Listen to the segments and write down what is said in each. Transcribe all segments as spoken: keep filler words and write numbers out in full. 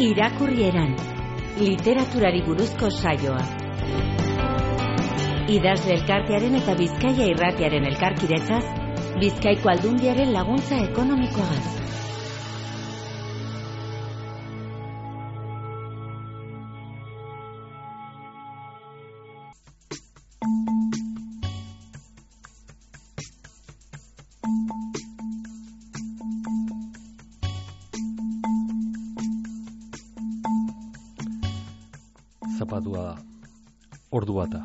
Irakurrieran, literaturari buruzko saioa. Idazle elkartearen eta Bizkaia irratiaren elkarkidetzaz, Bizkaiko Aldundiaren laguntza ekonomikoagaz. Zapatua da, ordu bata,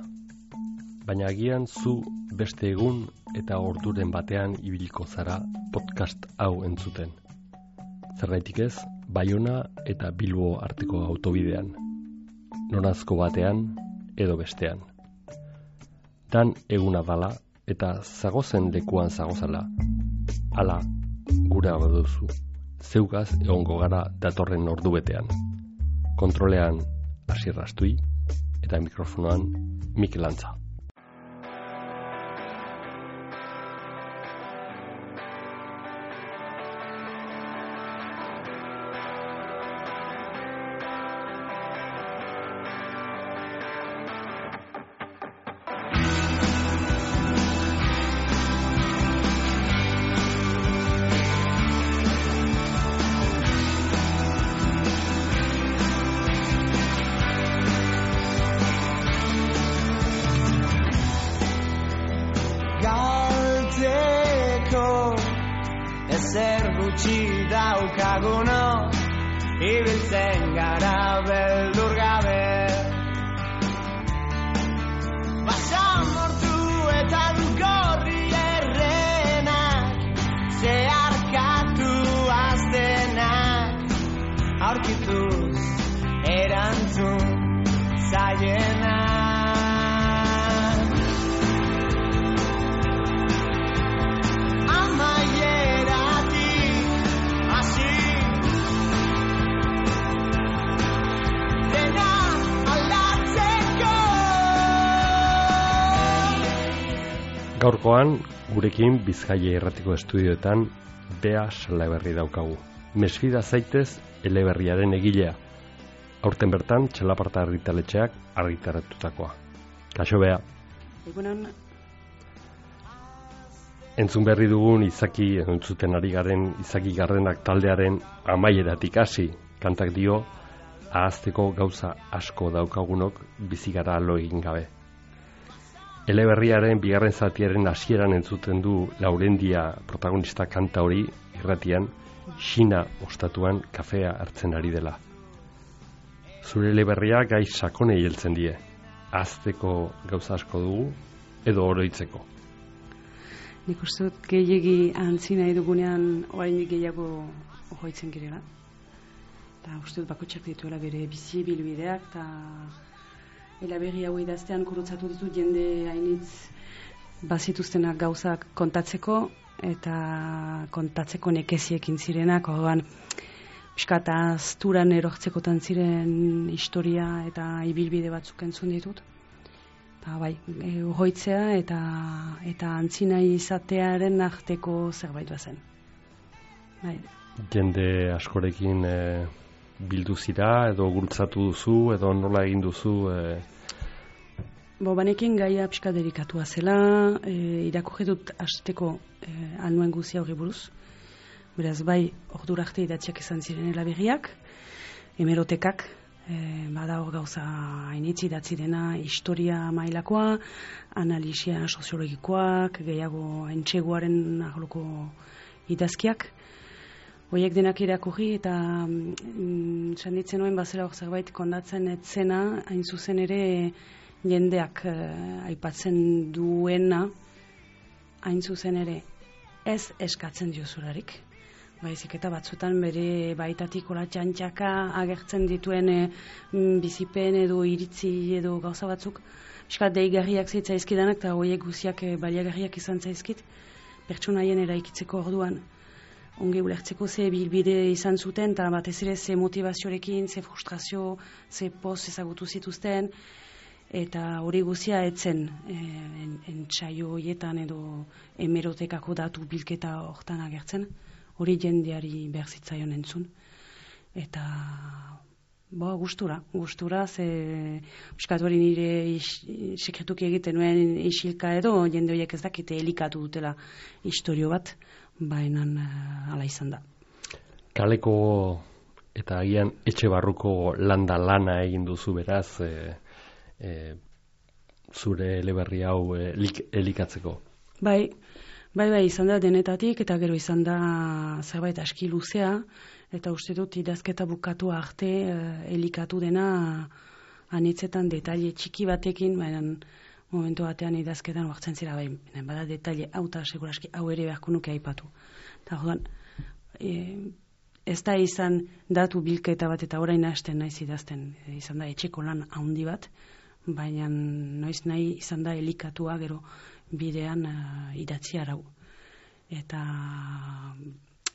baina agian zu beste egun eta orduren batean ibiliko zara podcast hau entzuten. Zergaitik ez, Baiona eta Bilbo arteko autobidean, norazko batean edo bestean. Dan eguna dala eta zagozen lekuan zagozala, ala gura baduzu, zeugaz egongo gara datorren ordu betean. Kontrolean Asier Rastui eta mikrofonoan Mikel Antza. Ezer gutxi daukaguno, ibiltzen gara beldur gabe. Basamortu eta dugorri errenak, zeharkatu aztenak, aurkituz erantzun zaienak. Gaurkoan, gurekin Bizkaia irratiko estudioetan Bea Salaberri daukagu. Mesfida zaitez eleberriaren egilea. Aurten bertan, Txalaparta argitaletxeak argitaratutakoa. Kaixo, Bea. Egunon. Entzun berri dugun izaki, entzuten ari garen izaki gardenak taldearen amaieratik hasi, kantak dio, ahazteko gauza asko daukagunok bizigara lo egin gabe. Eleberriaren bigarren zatiaren hasieran entzuten du Laurendia protagonista kanta hori irratian, Xina ostatuan kafea hartzen ari dela. Zure eleberria gai sakonei heltzen die. Ahazteko gauza asko dugu edo oroitzeko. Nik uste dut gehiegi antzi nahi dugunean oraindik gehiago ohoitzen girela. Eta uste dut bakotxak dituela bere bizi bilbideak eta eleberri hau idaztean gurutzatu ditut jende hainitz bazituztenak gauzak kontatzeko eta kontatzeko nekeziekin zirenak, orduan pixkat azturan erortzekotan ziren historia eta ibilbide batzuk entzun ditut. Eta bai, ohoitzea eta eta antzinai izatearen arteko zerbait bazen. Bai. Jende askorekin e, bildu zira edo gurutzatu duzu edo nola egin duzu? E... Bo, banekin gaia pixka delikatua zela, e, irakurri dut hasteko e, anuen guzia hori buruz. Beraz, bai, ordura arte idatziak izan ziren eleberriak, hemerotekak, e, bada hor gauza hainitz idatzi dena, historia mailakoa, analisia soziologikoak, gehiago entxeguaren arloko idazkiak. Hoiek denak irakurri eta mm, sanditzen nuen bazera hor zerbait kondatzen etzena, hain zuzen ere jendeak eh, aipatzen duena, hain zuzen ere ez eskatzen diozularik. Baizik eta batzutan bere baitatik hola txantxaka agertzen dituen e, bizipen edo iritzi edo gauza batzuk, piskat deigarriak zaizkidanak eta hoiek guziak e, baliagarriak izan zaizkit, pertsonaien eraikitzeko orduan. Ongi ulertzeko ze bilbide izan zuten, eta batez ere ze motivaziorekin, ze frustrazio, ze poz ezagutu zituzten, eta hori guzia etzen entsaio horietan edo hemerotekako datu bilketa hortan agertzen, hori jendeari behar zitzaion entzun. Eta Bo, gustura, gustura, ze piskat hori nire is, sekretuki egiten nuen isilka edo, jende horiek ez dakite elikatu dutela istorio bat, baina uh, ala izan da. Kaleko eta agian etxe barruko landa lana egin duzu beraz, e, e, zure eleberri hau e, lik, elikatzeko. Bai, bai, bai, izan da denetatik, eta gero izan da zerbait aski luzea, eta uste dut idazketa bukatu arte uh, elikatu dena anitzetan detaile txiki batekin, baina momentu batean idazketan hartzen zira, bai, bada detaile hau eta seguraski hau ere beharko nuke aipatu. Eta jodan, e, ez da izan datu bilketa bat eta orain hasten naiz idazten, e, izan da etxeko lan handi bat, baina noiz nahi izan da elikatua gero bidean uh, idatzi arau. Eta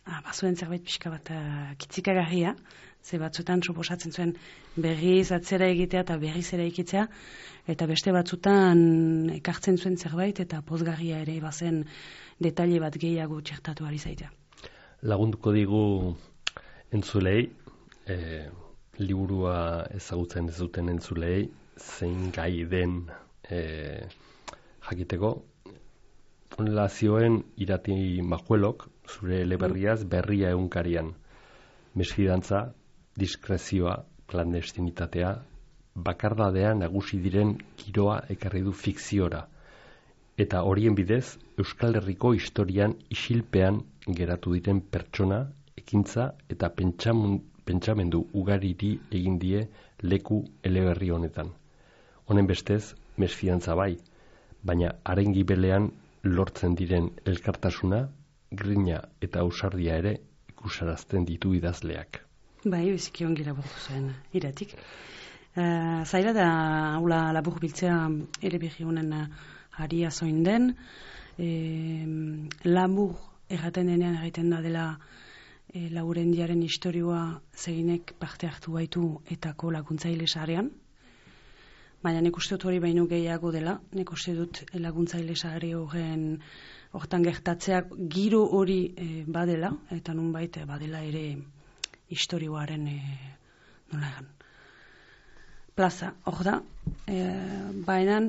Ah, bazuen zerbait pixka bat uh, kitzikagarria, ze batzutan suposatzen zuen berriz atzera egitea eta berriz ere ikitzea, eta beste batzutan ekartzen zuen zerbait eta pozgarria ere bazen detaile bat gehiago txertatu ari zaitea. Lagunduko digu entzulei, e, liburua ezagutzen ez duten entzulei, zein gai den e, jakiteko. Honela zioen Irati Majuelok, zure eleberriaz berria egunkarian. Mesfidantza, diskrezioa, klandestinitatea, bakardadea nagusi diren giroa ekarri du fikziora. Eta horien bidez, Euskal Herriko historian isilpean geratu diren pertsona, ekintza eta pentsamendu ugariri egin die leku eleberri honetan. Honen bestez, mesfidantza bai, baina haren gibelean lortzen diren elkartasuna, grina eta ausardia ere ikusarazten ditu idazleak. Bai, biziki ongi laburtu zuen Iratik. Uh, zaila da haula labur biltzea ere berri honen haria zoin den. E, labur erraten denean egiten da dela e, Laurendiaren istorioa zeinek parte hartu baitu etako laguntzaile sarean. Baina nik uste dut hori baino gehiago dela, nik uste dut laguntzaile sare horren hortan gertatzeak giro hori e, badela, eta nunbait badela ere istorioaren e, nola egan plaza, hor da. E, baina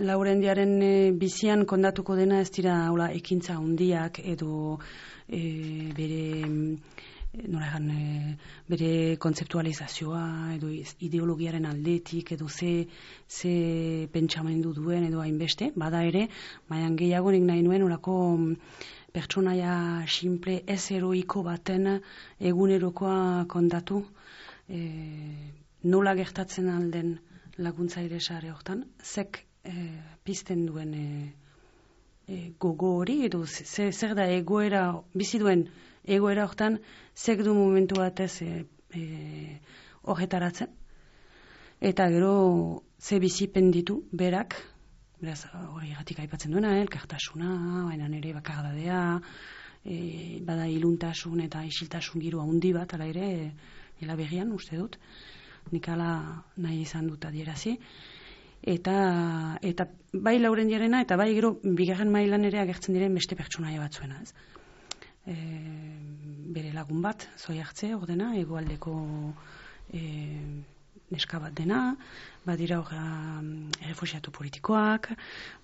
Laurendiaren e, bizian kondatuko dena ez dira hola, ekintza handiak edo e, bere nola egan, e, bere kontzeptualizazioa edo ideologiaren aldetik edo ze, ze pentsamendu duen edo hainbeste, bada ere, baina gehiago nik nahi nuen olako pertsonaia simple ez heroiko baten egunerokoa kontatu, e, nola gertatzen alden laguntzaile sare hortan, zek e, pizten duen e, e, gogo hori edo ze, zer da egoera bizi duen egoera hortan, zek du momentu batez e, e, horretaratzen. Eta gero, ze bizipen ditu, berak, beraz, hori gatik aipatzen duena, elkartasuna, baina nire bakardadea, e, bada iluntasun eta isiltasun giro handi bat, ala ere, ela berrian, uste dut, nik ala nahi izan dut adierazi. Eta, eta bai Laurendiarena, eta bai gero, bigarren mailan ere agertzen diren beste pertsonaia batzuena, ez? E, bere lagun bat, zoi hartze, ordena, egoaldeko e, neska bat dena, badira hor refuxiatu politikoak,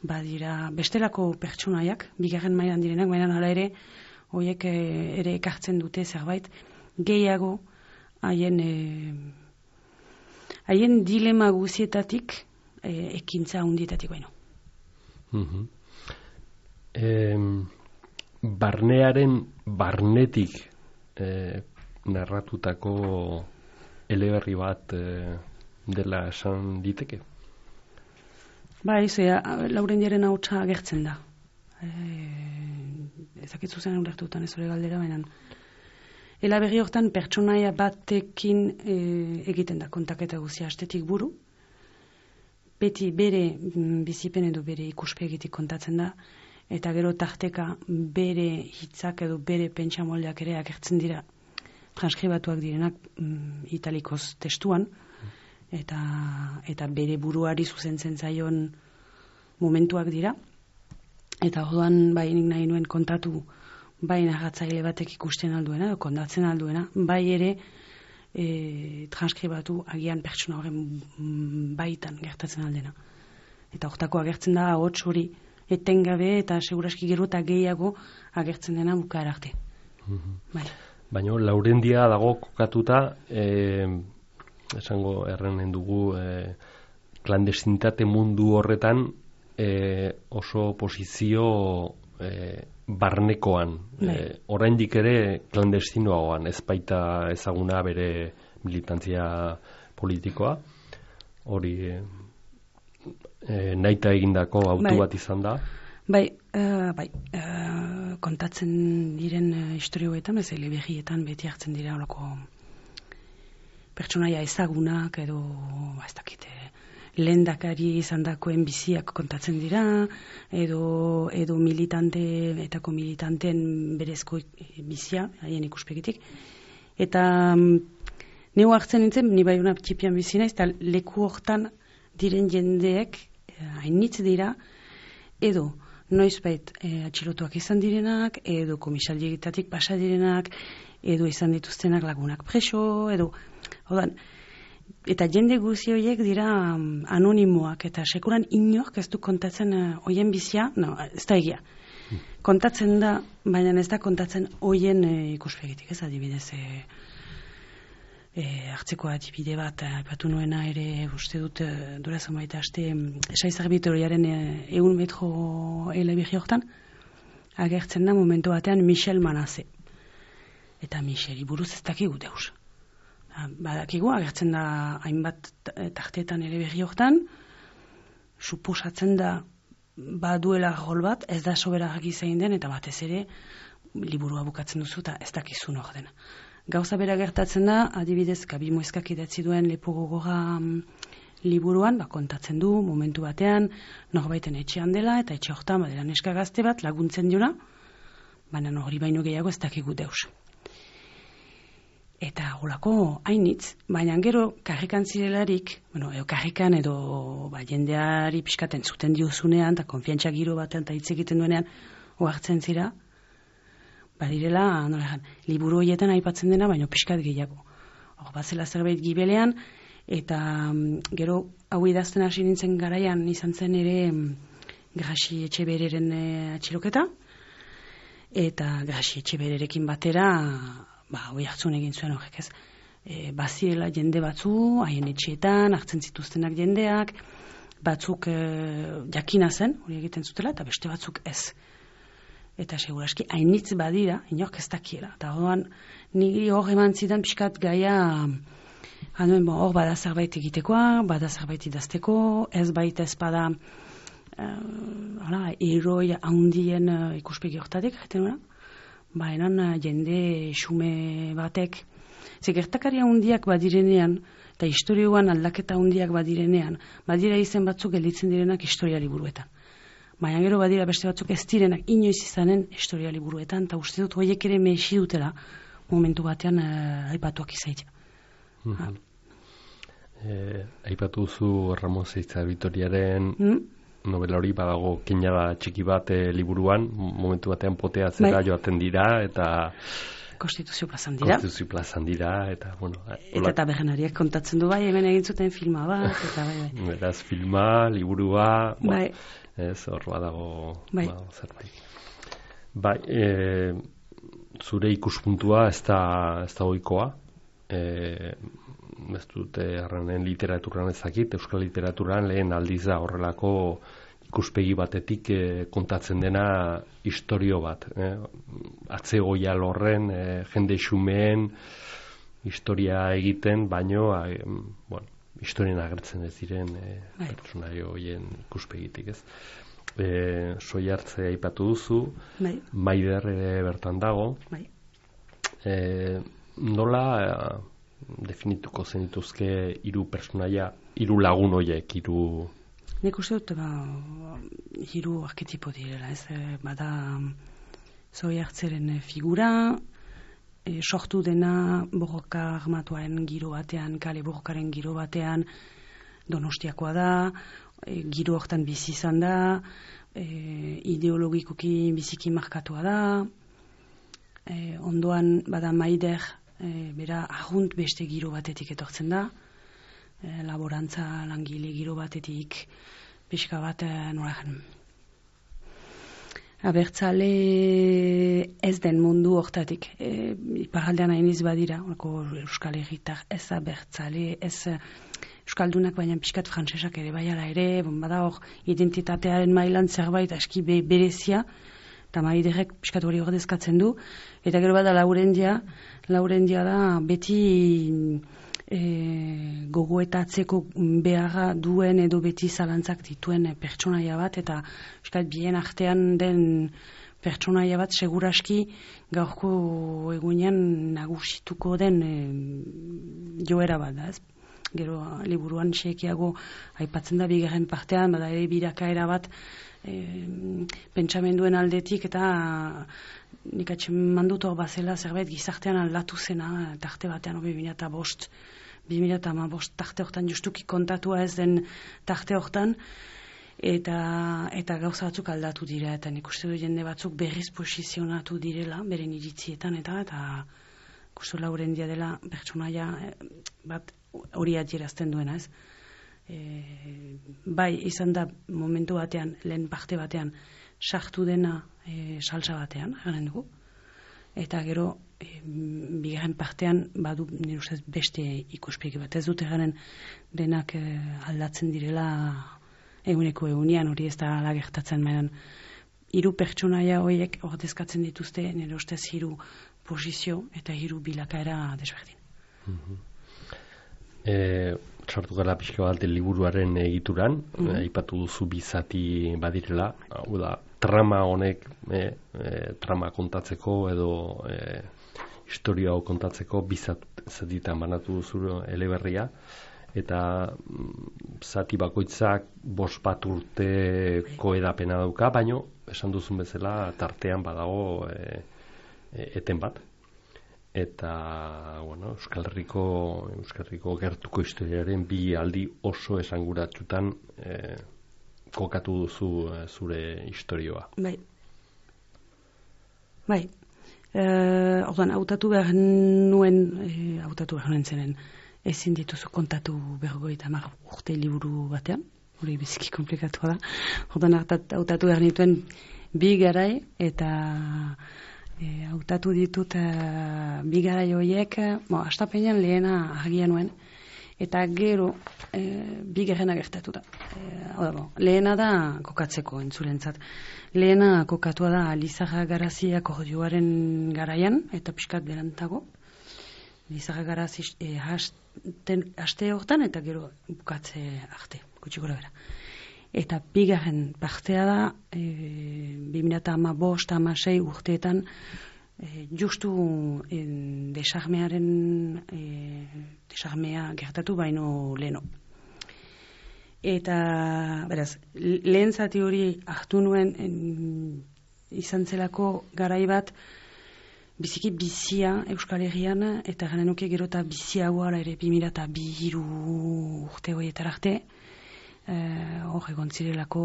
badira bestelako pertsonaiak, bigarren mailan direnak, baina hala ere, horiek e, ere ekartzen dute zerbait, gehiago haien e, haien dilema guzietatik e, ekintza hundietatik baino. Mm-hmm. Em... Barnearen barnetik eh, narratutako eleberri bat eh, dela esan diteke? Ba, izea, Laurendiaren hautsa agertzen da. E, ezakitzu zen ulertutan ez hori galdera, baina elaberri hortan pertsonaia batekin e, egiten da kontaketa guzia astetik buru. Beti bere bizipen edo bere ikuspegitik kontatzen da, eta gero tarteka bere hitzak edo bere pentsamoldeak ere agertzen dira transkribatuak direnak mm, italikoz testuan, eta, eta bere buruari zuzentzen zaion momentuak dira. Eta orduan bai nik nahi nuen kontatu bai narratzaile batek ikusten alduena, edo kontatzen alduena, bai ere e, transkribatu agian pertsona horren baitan gertatzen aldena. Eta hortako agertzen da ahots hori etengabe eta seguraski gero eta gehiago agertzen dena bukaera arte. Mhm. Bai. Baina Laurendia dago kokatuta, eh, esango errenen dugu, eh, klandestinitate mundu horretan eh, oso posizio eh, barnekoan. Eh, oraindik ere klandestinoagoan, ez baita ezaguna bere militantzia politikoa. Hori eh, eh, naita egindako autu Bai. bat izan da. Bai, uh, bai, uh, kontatzen diren uh, historioetan, ez elebegietan beti hartzen dira olako pertsonaia ezagunak edo, ba, ez dakite, lehendakari izandakoen biziak kontatzen dira, edo, edo militante, etako militanten berezko bizia, haien ikuspegitik. Eta um, neu hartzen nintzen, ni bai una txipian bizi naiz, eta leku hortan diren jendeek hainitz dira, edo noizbait e, atxilotuak izan direnak, edo komisaldiegitatik pasa direnak, edo izan dituztenak lagunak preso, edo, odan, eta jende guzi horiek dira um, anonimoak, eta sekuran inork ez du kontatzen uh, hoien bizia, no, ez da egia. Hmm. Kontatzen da, baina ez da kontatzen hoien e, ikuspegitik, ez adibidez, e, e, hartzeko adibide bat, aipatu nuena ere, uste dut, e, dura zamaita aste, Saizar Bitoriaren egun metro elebegi hortan, agertzen da momentu batean Michel Manasse. Eta Micheli buruz ez dakigu deus. Badakigu, agertzen da hainbat tartetan elebegi hortan, suposatzen da baduela rol bat, ez da sobera argi zein den, eta batez ere liburua bukatzen duzu eta ez dakizun hor dena. Gauza bera gertatzen da, adibidez, Gabi Mueskak idatzi duen Lepo gogorra um, liburuan, ba, kontatzen du momentu batean, norbaiten etxean dela, eta etxe hortan badela neska gazte bat laguntzen diona, baina hori baino gehiago ez dakigu deus. Eta holako hainitz, baina gero karrikan zirelarik, bueno, edo karrikan edo ba, jendeari pixkaten zuten diozunean, eta konfiantza giro batean eta hitz egiten duenean, ohartzen zira, badirela, nola egan, liburu horietan aipatzen dena, baina pixkat gehiago. Hor, batzela zerbait gibelean, eta um, gero hau idazten hasi nintzen garaian izan zen ere um, Grasi Etxebereren e, atxiloketa, eta Grasi Etxebererekin batera, ba, hoi hartzun egin zuen horrek ez, e, baziela jende batzu, haien etxeetan, hartzen zituztenak jendeak, batzuk e, jakina zen, hori egiten zutela, eta beste batzuk ez. Eta seguraski hainitz badira, inork ez dakiela. Eta horrean, niri hor eman zidan pixkat gaia, hanuen, bon, hor bada zerbait egitekoa, bada zerbait idazteko, ez baita ez bada, uh, hala, eroi handien uh, ikuspegi hortatik, jaten nuna, baenan uh, jende xume batek, ze gertakaria handiak badirenean, eta historioan aldaketa handiak badirenean, badira izen batzuk gelditzen direnak historia liburuetan. Baina gero badira beste batzuk ez direnak inoiz izanen historia liburuetan, eta uste dut horiek ere mehesi dutela momentu batean uh, aipatuak izaitea. Mm-hmm. eh, aipatu zu Ramon Saizar Bitoriaren mm? novela hori badago keinada txiki bat eh, liburuan, momentu batean potea zera bai. Joaten dira, eta Konstituzio plazan dira. Konstituzio plazan dira, eta, bueno... Eta eta berrenariak kontatzen du bai, hemen egin zuten filma bat, eta bai, bai. Beraz, filma, liburua... Bai. Ez, hor badago bai. Ba, zerbait. Bai, e, zure ikuspuntua ez da, ez da ohikoa. E, ez dute errenen literaturan ezakit, euskal literaturan lehen aldiz da horrelako ikuspegi batetik e, kontatzen dena istorio bat. E, atzegoia lorren, e, jende xumeen historia egiten, baino, a, bueno, historien agertzen ez diren e, pertsonaio horien ikuspegitik, ez? E, soi hartze aipatu duzu, bai. Maider ere bertan dago. Bai. E, nola e, definituko zenituzke hiru pertsonaia, hiru lagun horiek, hiru... Nik uste dut, ba, hiru arketipo direla, ez? Bada soi hartzeren figura, E, sortu dena borroka armatuaren giro batean, kale borrokaren giro batean, Donostiakoa da, e, giro hortan bizi izan da, e, ideologikoki biziki markatua da, e, ondoan bada Maider e, bera agunt beste giro batetik etortzen da, e, laborantza langile giro batetik, pixka bat e, noragen. Abertzale ez den mundu hortatik, e, iparaldean hainiz badira, orako Euskal Herritar ez abertzale, ez Euskaldunak baina pixkat frantsesak ere baiala ere, bon, bada hor identitatearen mailan zerbait aski be, berezia, eta maiderrek pixkat hori ordezkatzen du, eta gero bada Laurendia, Laurendia da beti e, gogoetatzeko beharra duen edo beti zalantzak dituen pertsonaia bat, eta pixkat bien artean den pertsonaia bat seguraski gaurko egunean nagusituko den e, joera bat da, ez? Gero liburuan xekiago aipatzen da bigarren partean, bada ere birakaera bat e, pentsamenduen aldetik, eta nik atxen mandut hor bazela zerbait gizartean aldatu zena, tarte batean bi mila bost, bi mila hamabost tarte hortan justuki kontatua ez den tarte hortan, eta, eta gauza batzuk aldatu dira, eta nik uste du jende batzuk berriz posizionatu direla, beren iritzietan, eta eta ikustu Laurendia dela pertsonaia bat hori adierazten duena, ez? E, bai, izan da momentu batean, lehen parte batean, sartu dena e, salsa batean, garen dugu. Eta gero, e, bigarren partean, badu nire ustez beste ikuspegi bat. Ez dute garen denak e, aldatzen direla eguneko egunean, hori ez da ala gertatzen mainan. Hiru pertsonaia horiek ordezkatzen dituzte, nire ustez hiru posizio eta hiru bilakaera desberdin. Mm-hmm. E, sartu gara pixka bat liburuaren egituran, mm-hmm. aipatu duzu bizati badirela, hau da, trama honek, e, e, trama kontatzeko edo e, historia hau kontatzeko bizatitan banatu duzu eleberria, eta mm, zati bakoitzak bost bat urteko edapena dauka, baino, esan duzun bezala, tartean badago e, e, eten bat. Eta, bueno, Euskal Herriko, Euskal Herriko gertuko historiaren bi aldi oso esanguratsutan eh, kokatu duzu eh, zure historioa. Bai. Bai. Eh, orduan, hautatu behar nuen, eh, hautatu behar nuen zenen, ezin dituzu kontatu berrogeita hamar urte liburu batean, hori biziki komplikatua da. Orduan, hautatu behar nituen bi garai, eta E, hautatu ditut uh, bigarai horiek, bo, astapenean lehena argia nuen, eta gero e, bigarrena gertatu da. E, bo, lehena da kokatzeko entzulentzat. Lehena kokatua da Lizarra Garazi akordioaren garaian, eta pixkat berantago. Lizarra Garazi e, haste hortan, eta gero bukatze arte, gutxi gora bera. Eta bigarren partea da, e, bi mila hamabost hamasei urteetan, e, justu e, desarmearen, e, desarmea gertatu baino leheno. Eta, beraz, lehen zati hori hartu nuen en, izan zelako garai bat, biziki bizia Euskal Herrian, eta gana nuke gero eta biziagoa ere bi mila bi hiru urte horietar arte, hor uh, egon zirelako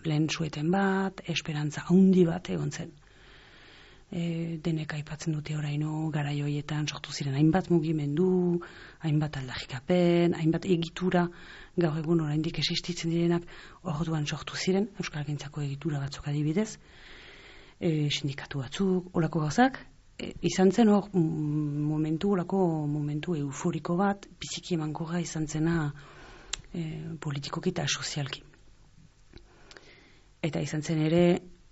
lehen sueten bat, esperantza handi bat egon zen. E, denek aipatzen dute oraino garai horietan sortu ziren hainbat mugimendu, hainbat aldarrikapen, hainbat egitura, gaur egun oraindik existitzen direnak orduan sortu ziren, euskalgintzako egitura batzuk adibidez, e, sindikatu batzuk, horako gauzak, e, izan zen hor momentu, horako momentu euforiko bat, biziki emankorra izan zena E, politikoki eta sozialki. Eta izan zen ere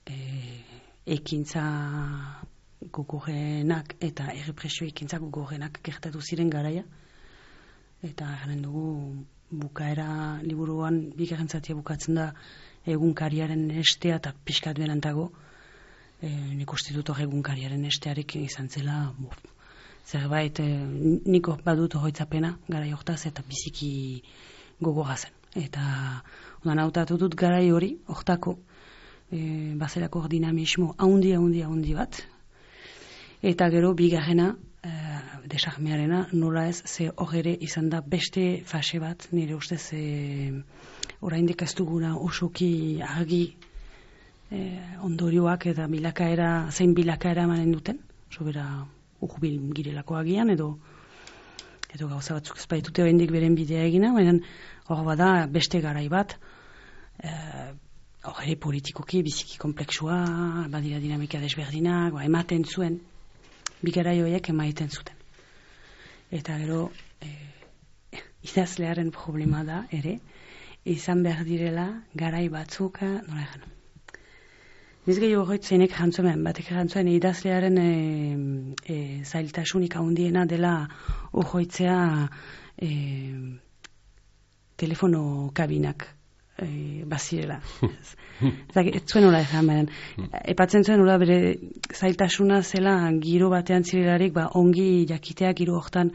e, ekintza gogorrenak eta errepresio ekintza gogorrenak gertatu ziren garaia. Eta garen dugu bukaera liburuan bigarren zatia bukatzen da egunkariaren estea eta pixkat berantago e, nik uste dut hor egunkariaren estearekin izan zela buf, zerbait e, niko badut horretzapena garai hortaz eta biziki gogorra zen. Eta ondan hautatu dut garai hori, hortako e, bazelako dinamismo haundi, haundi, haundi bat. Eta gero bigarrena, e, desarmearena, nola ez, ze hor ere izan da beste fase bat, nire ustez e, oraindik ez duguna osoki argi e, ondorioak eta bilakaera, zein bilakaera emanen duten, sobera urbil girelako agian, edo edo gauza batzuk ez baitute oraindik beren bidea egina, baina hor bada beste garai bat, hor ere politikoki biziki komplexua, badira dinamika desberdinak, ba, ematen zuen, bi garai horiek emaiten zuten. Eta gero, e, idazlearen problema da ere, izan behar direla garai batzuka, nola egan. Niz gehiago horret zeinek jantzuemen, batek jantzuen idazlearen e, e, zailtasunik handiena dela horretzea e, telefono kabinak e, bazirela. Ez zuen hola ezan, baina epatzen zuen hola bere zailtasuna zela giro batean zirelarik ba, ongi jakitea giro hortan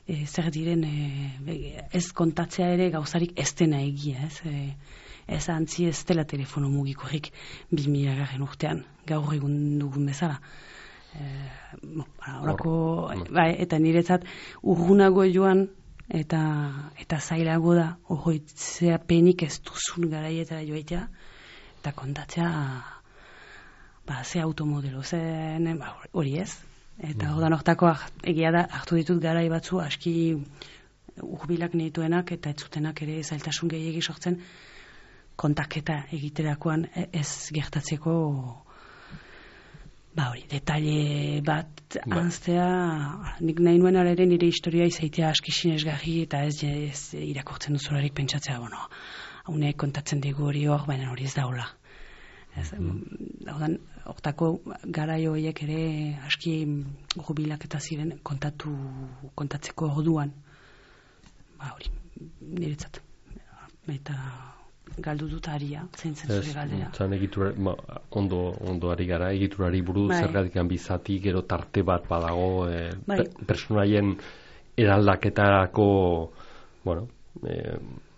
e, zer diren e, ez kontatzea ere gauzarik ez dena egia, ez? E, ez antzi ez dela telefono mugikorrik bi mila garren urtean, gaur egun dugun bezala. E, bon, orako, bai, eta niretzat urgunago joan eta eta zailago da horretzea penik ez duzun garaietara joaitea eta kontatzea ba, ze automodelo zen, ba, hori ez. Eta hor da nortako egia da hartu ditut garai batzu aski urbilak nituenak eta ez zutenak ere zailtasun gehiegi sortzen kontaketa egiterakoan ez gertatzeko ba hori, detaile bat anztea, nik nahi nuen ere nire historia izaitea aski sinesgarri eta ez, ez irakortzen duzularik pentsatzea, bueno, haunek kontatzen digu hori hor, baina hori ez daula. Ez, mm. Hortako garai horiek ere aski jubilak eta ziren kontatu, kontatzeko orduan, ba hori, niretzat. Eta galdu dut aria, zeintzen zure galdera. Zan egitura, ma, ondo, ondo ari gara, egiturari buruz, bai. Zergatikan bizati, gero tarte bat badago, e, bai. pe, personaien eraldaketarako, bueno, e,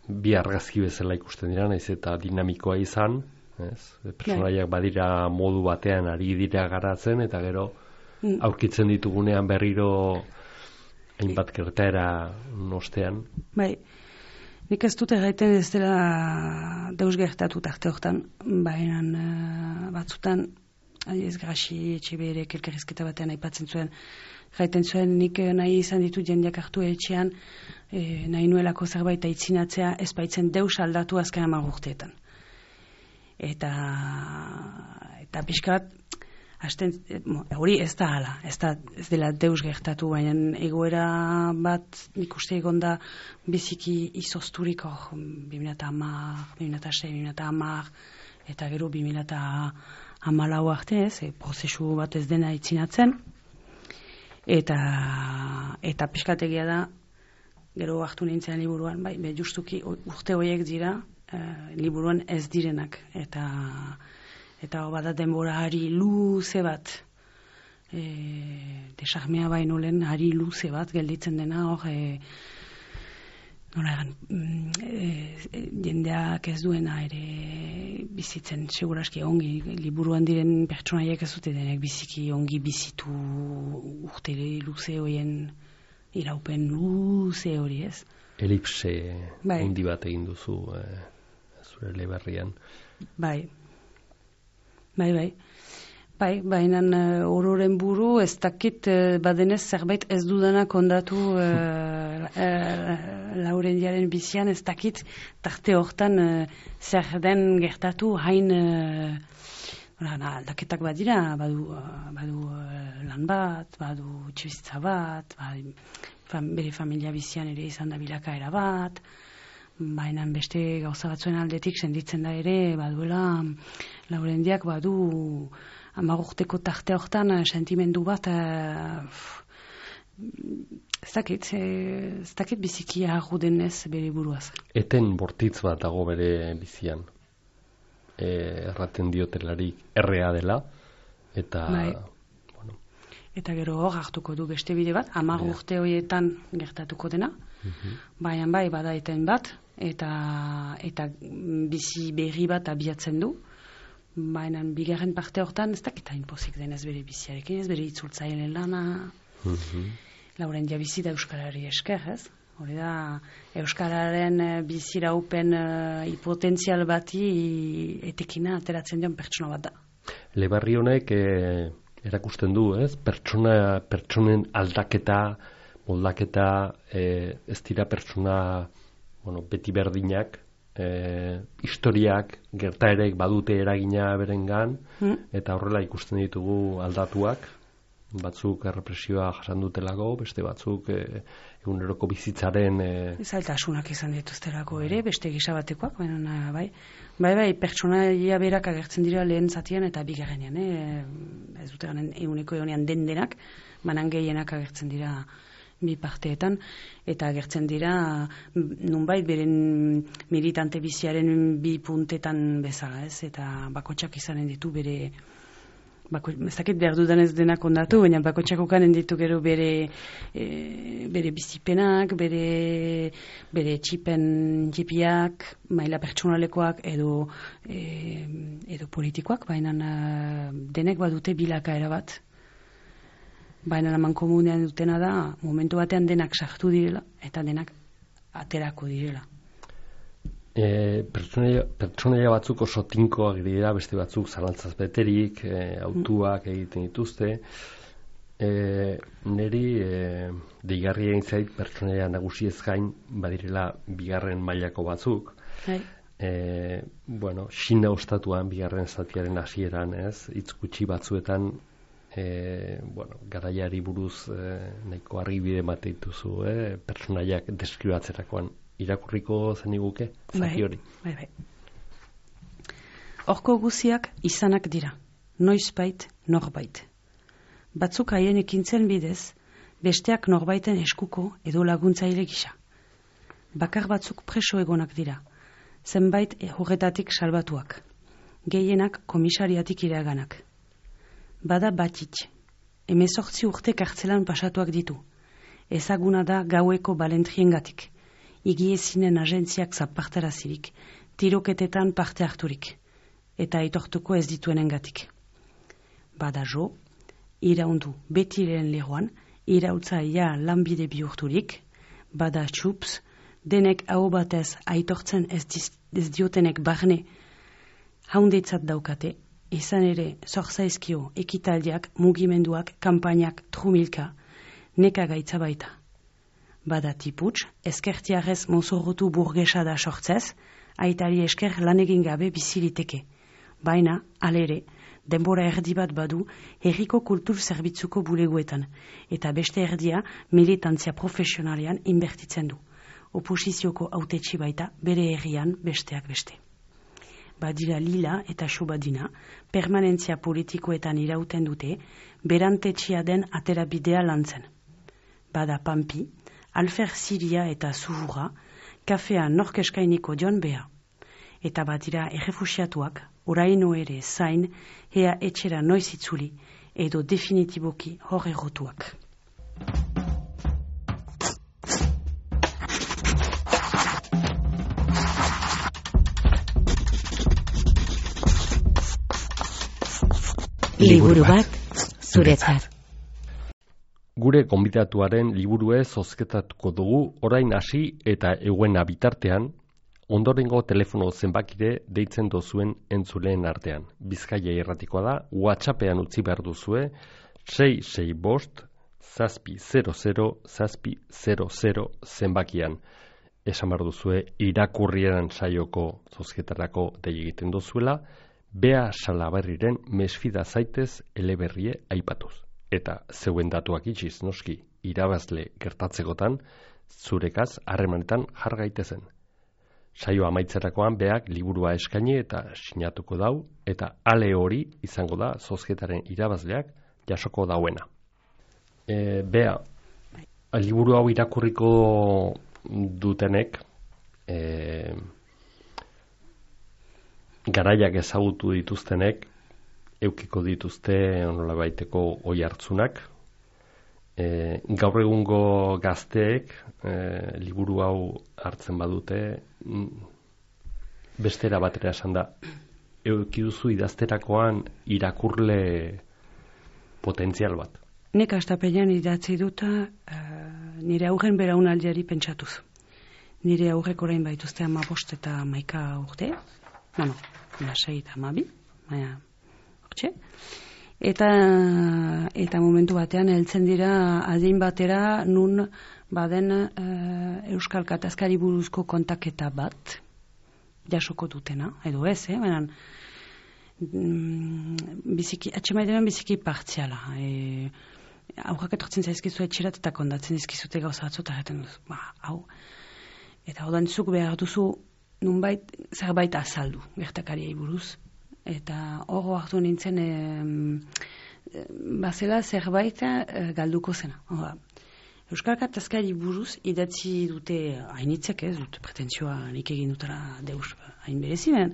bi argazki bezala ikusten dira, naiz eta dinamikoa izan, ez? Personaiak badira modu batean ari dira garatzen, eta gero mm. aurkitzen ditugunean berriro hainbat gertaera nostean. Bai. Nik ez dut erraiten ez dela deus gertatu tarte hortan, baina uh, batzutan, ez Graxi Etxeberek elkarrizketa batean aipatzen zuen, jaiten zuen nik nahi izan ditut jendeak hartu etxean, eh, nahi nuelako zerbait aitzinatzea ez baitzen deus aldatu azken hamar urteetan. Eta, eta pixkat, hasten, hori ez da hala, ez, da, ez dela deus gertatu, baina egoera bat nik uste egon da biziki izozturik hor, bi mila hamar, bi mila sei, bi mila hamar, eta gero bi mila hamalau arte ez, e, prozesu bat ez dena itzinatzen, eta, eta pixkategia da, gero hartu nintzen liburuan, bai, be justuki urte horiek dira, Uh, liburuan ez direnak eta eta bada denbora hari luze bat e, desarmea baino lehen hari luze bat gelditzen dena hor e, nola egan e, jendeak ez duena ere bizitzen seguraski ongi liburuan diren pertsonaiek ez dute denek biziki ongi bizitu urte luze horien iraupen luze hori ez. Elipse bai. Handi bat egin duzu eh. Zure leberrian. Bai, bai, bai. Bai, baina uh, ororen buru ez dakit uh, badenez zerbait ez dudanak ondatu uh, uh, Laurendiaren bizian ez dakit tarte hortan uh, zer den gertatu hain uh, aldaketak badira, badu, uh, badu uh, lan bat, badu txibizitza bat, badu, fam, bere familia bizian ere izan da bilakaera bat, baina beste gauza batzuen aldetik senditzen da ere, baduela Laurendiak badu hamar urteko tarte hortan sentimendu bat uh, ez dakit, ez dakit biziki arrudenez bere buruaz. Eten bortitz bat dago bere bizian. E, erraten diotelarik errea dela, eta bai. Bueno. Eta gero hor hartuko du beste bide bat, hamar yeah. urte horietan gertatuko dena, mm-hmm. baina bai bada eten bat, eta eta bizi berri bat abiatzen du, baina bigarren parte hortan ez dakit hain pozik denez bere biziarekin, ez bere itzultzaileen lana, mm-hmm. Laurendia bizi da Euskarari esker, ez? Hori da, Euskararen biziraupen uh, hipotentzial bati etekina ateratzen dion pertsona bat da. Lebarri honek e, erakusten du, ez? Pertsona, pertsonen aldaketa, moldaketa, e, ez dira pertsona, bueno, beti berdinak, e, historiak, gertaerek badute eragina berengan, mm. eta horrela ikusten ditugu aldatuak, batzuk errepresioa jasan dutelako, beste batzuk e, eguneroko bizitzaren e... zailtasunak izan dituztelako ere, beste gisa batekoak, baina bai, bai, bai, pertsonaia berak agertzen dira lehen zatian eta bigarrenean, eh? Ez dute ganen eguneko egonean den denak, banan gehienak agertzen dira bi parteetan, eta agertzen dira nunbait beren militante biziaren bi puntetan bezala, ez? Eta bakotxak izanen ditu bere Bako, ez dakit behar dudan ez denak ondatu, baina bakotxako kanen ditu gero bere, e, bere bizipenak, bere, bere txipen txipiak, maila pertsonalekoak edo, e, edo politikoak, baina denek badute bilakaera bat. Baina laman komunean dutena da, momentu batean denak sartu direla, eta denak aterako direla. E, pertsonaia, pertsonaia batzuk oso tinkoak dira, beste batzuk zalantzaz beterik, e, autuak egiten dituzte. E, neri e, deigarria egin zait pertsonaia nagusiez gain badirela bigarren mailako batzuk. Hai. E, bueno, Xina ostatuan bigarren zatiaren hasieran, ez, hitz gutxi batzuetan e, bueno, garaiari buruz e, nahiko argibide ematen dituzu, e, pertsonaiak deskribatzerakoan. Irakurriko zeniguke, zati hori. Bai, bai, bai. Horko guziak izanak dira, noizbait, norbait. Batzuk haien ekintzen bidez, besteak norbaiten eskuko edo laguntzaile gisa. Bakar batzuk preso egonak dira, zenbait horretatik salbatuak, gehienak komisariatik iraganak. Bada batit, hemezortzi urte kartzelan pasatuak ditu, ezaguna da gaueko balentriengatik. Igiezinen agentziak zapartarazirik, tiroketetan parte harturik, eta aitortuko ez dituenengatik. Bada jo, iraundu beti lehen leroan, irautza ja lanbide bihurturik, bada txups, denek hau batez aitortzen ez, diz, ez diotenek barne haundeitzat daukate, izan ere zorzaizkio ekitaldiak, mugimenduak, kanpainak, trumilka, neka gaitza baita. Bada tiputs, eskertiarrez mozorrotu burgesa da sortzez, aitari esker lan egin gabe biziliteke. Baina, alere, denbora erdi bat badu herriko kultur zerbitzuko buleguetan, eta beste erdia militantzia profesionalean inbertitzen du. Oposizioko hautetsi baita bere herrian besteak beste. Badira Lila eta Xubadina, permanentzia politikoetan irauten dute, berantetxia den aterabidea lantzen. Bada Pampi, Alfer Siria eta Zuhura, kafea norkeskainiko dion beha. Eta badira errefusiatuak, oraino ere zain, ea etxera noiz itzuli, edo definitiboki hor errotuak. Liburu bat, zuretzat. Gure gonbidatuaren liburue zozketatuko dugu orain hasi eta eguena bitartean, ondorengo telefono zenbakire deitzen dozuen entzuleen artean. Bizkaia irratikoa da, WhatsAppean utzi behar duzue, sei sei bost, zazpi zero zero, zazpi zero zero zenbakian. Esan behar duzue irakurrieran saioko zozketarako dei egiten dozuela, Bea Salaberriren mesfida zaitez eleberrie aipatuz. Eta zeuen datuak itxiz, noski, irabazle gertatzekotan, zurekaz harremanetan jar gaitezen. Saio amaitzerakoan beak liburua eskaini eta sinatuko dau, eta ale hori izango da zozketaren irabazleak jasoko dauena. E, bea, liburu hau irakurriko dutenek, e, garaiak ezagutu dituztenek, eukiko dituzte onola baiteko oi hartzunak. E, gaur egungo gazteek e, liburu hau hartzen badute, bestera batera esan da, euki duzu idazterakoan irakurle potentzial bat. Nek astapenean idatzi duta uh, nire aurren beraunaldiari pentsatuz. Nire aurrek orain baituzte hamabost eta hamaika urte, bueno, lasei eta hamabi, baina hortxe. eta eta momentu batean heltzen dira adin batera nun baden uh, Euskal Gatazkari buruzko kontaketa bat jasoko dutena, edo ez, eh? Baina mm, biziki, atxemaidenan biziki partziala. E, aurrak etortzen zaizkizu etxerat eta kondatzen dizkizute gauza batzu eta jaten duzu, ba, hau. Eta hau dantzuk behar duzu nunbait zerbait azaldu gertakariei buruz. Eta hor hartu nintzen e, bazela zerbait e, galduko zena. Hora, Euskal Gatazkari buruz idatzi dute hainitzek, ez dut pretentzioa nik egin dutara deus hain berezi, ben,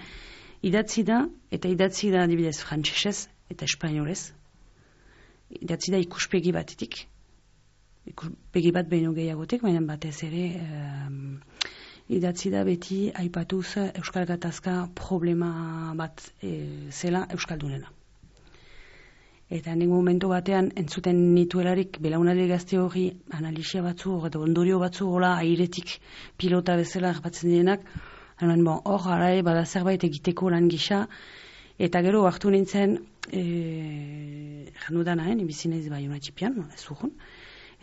idatzi da, eta idatzi da adibidez frantsesez eta espainolez. Idatzi da ikuspegi batetik, ikuspegi bat behin gehiagotek, baina batez ere um, idatzi da beti aipatuz Euskal Gatazka problema bat e, zela Euskaldunena. Eta nik momentu batean entzuten nituelarik belaunaldi gazte hori analisia batzu eta ondorio batzu hola airetik pilota bezala harbatzen direnak, hor bon, harae bada zerbait egiteko lan gisa, eta gero hartu nintzen e, janudana, eh, nibizinez bai unatxipian, ez urgun,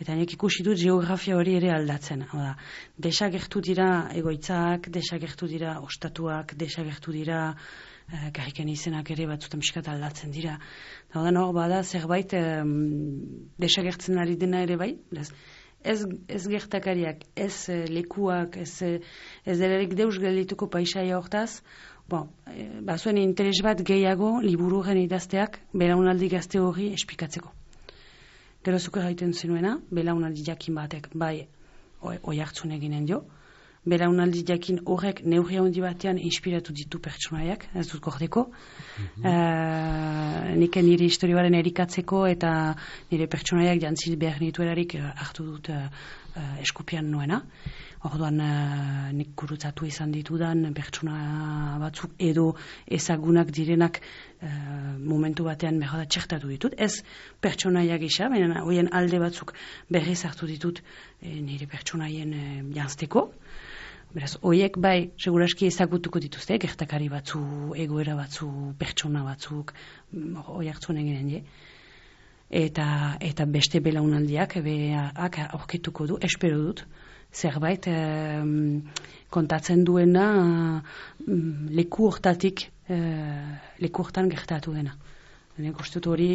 eta nik ikusi dut geografia hori ere aldatzen. Oda, desagertu dira egoitzak, desagertu dira ostatuak, desagertu dira uh, garriken izenak ere batzutan pixkat aldatzen dira. Oda, hor bada zerbait um, desagertzen ari dena ere bai. Ez, ez gertakariak, ez uh, lekuak, ez, ez delarik deus geldituko paisaia hortaz, bon, e, bazuen interes bat gehiago libururen idazteak belaunaldi gazte hori espikatzeko. Gero zuke gaiten zenuena, belaunaldi jakin batek bai oi hartzun eginen dio. Belaunaldi jakin horrek neurri handi batean inspiratu ditu pertsonaiak, ez dut gordeko. Mm-hmm. Uh, nik nire historioaren erikatzeko eta nire pertsonaiak jantzit behar nituelarik uh, hartu dut uh, uh, eskupian nuena. Orduan uh, nik gurutzatu izan ditudan pertsona batzuk edo ezagunak direnak uh, momentu batean behar da txertatu ditut. Ez pertsonaia gisa, baina hoien alde batzuk berriz hartu ditut eh, nire pertsonaien eh, janzteko. Beraz, hoiek bai, seguraski ezagutuko dituzte, gertakari batzu, egoera batzu, pertsona batzuk, hoi hartzun eginen die. Eta, eta beste belaunaldiak, beak aurkituko du, espero dut, zerbait um, kontatzen duena um, leku hortatik, uh, leku hortan gertatu dena. Nik uste dut hori,